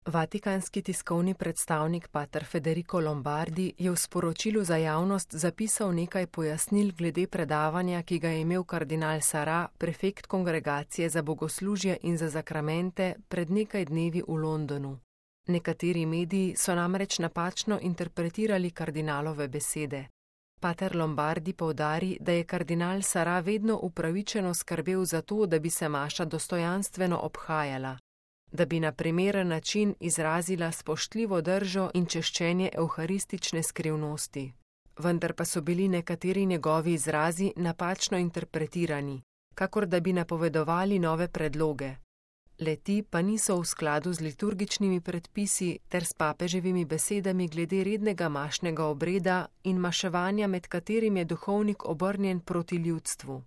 Vatikanski tiskovni predstavnik pater Federico Lombardi je v sporočilu za javnost zapisal nekaj pojasnil glede predavanja, ki ga je imel kardinal Sarah, prefekt Kongregacije za bogoslužje in za zakramente, pred nekaj dnevi v Londonu. Nekateri mediji so namreč napačno interpretirali kardinalove besede. Pater Lombardi poudari, da je kardinal Sarah vedno upravičeno skrbel za to, da bi se maša dostojanstveno obhajala, da bi na primeren način izrazila spoštljivo držo in češčenje evharistične skrivnosti. Vendar pa so bili nekateri njegovi izrazi napačno interpretirani, kakor da bi napovedovali nove predloge. Le-ti pa niso v skladu z liturgičnimi predpisi ter s papeževimi besedami glede rednega mašnega obreda in maševanja, med katerim je duhovnik obrnjen proti ljudstvu.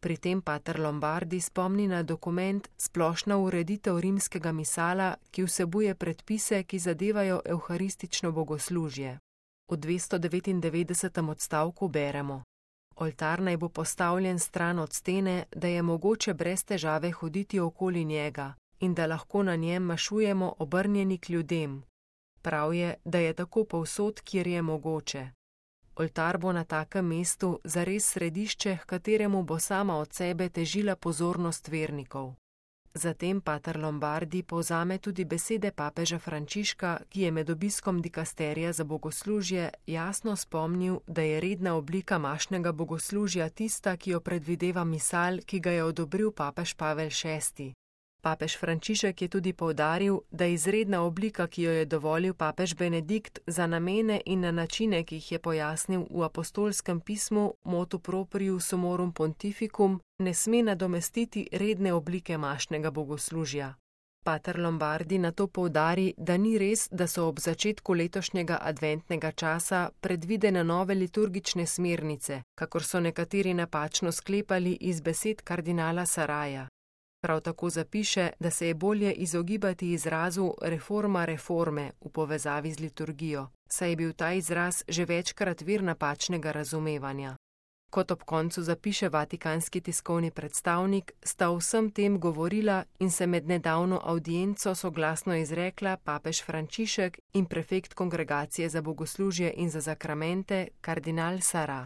Pri tem pater Lombardi spomni na dokument Splošna ureditev rimskega misala, ki vsebuje predpise, ki zadevajo evharistično bogoslužje. V 299. odstavku beremo: Oltar naj bo postavljen stran od stene, da je mogoče brez težave hoditi okoli njega in da lahko na njem mašujemo obrnjeni k ljudem. Prav je, da je tako povsod, kjer je mogoče. Oltar bo na takem mestu zares središče, h kateremu bo sama od sebe težila pozornost vernikov. Zatem pater Lombardi povzame tudi besede papeža Frančiška, ki je med obiskom dikasterija za bogoslužje jasno spomnil, da je redna oblika mašnega bogoslužja tista, ki jo predvideva misal, ki ga je odobril papež Pavel VI. Papež Frančišek je tudi poudaril, da je izredna oblika, ki jo je dovolil papež Benedikt za namene in na načine, ki jih je pojasnil v apostolskem pismu Motu proprio sumorum pontificum, ne sme nadomestiti redne oblike mašnega bogoslužja. Pater Lombardi nato poudari, da ni res, da so ob začetku letošnjega adventnega časa predvidene nove liturgične smernice, kakor so nekateri napačno sklepali iz besed kardinala Saraja. Prav tako zapiše, da se je bolje izogibati izrazu reforma reforme v povezavi z liturgijo, saj je bil ta izraz že večkrat vir napačnega razumevanja. Kot ob koncu zapiše vatikanski tiskovni predstavnik, sta o vsem tem govorila in se med nedavno avdienco soglasno izrekla papež Frančišek in prefekt Kongregacije za bogoslužje in za zakramente kardinal Sarah.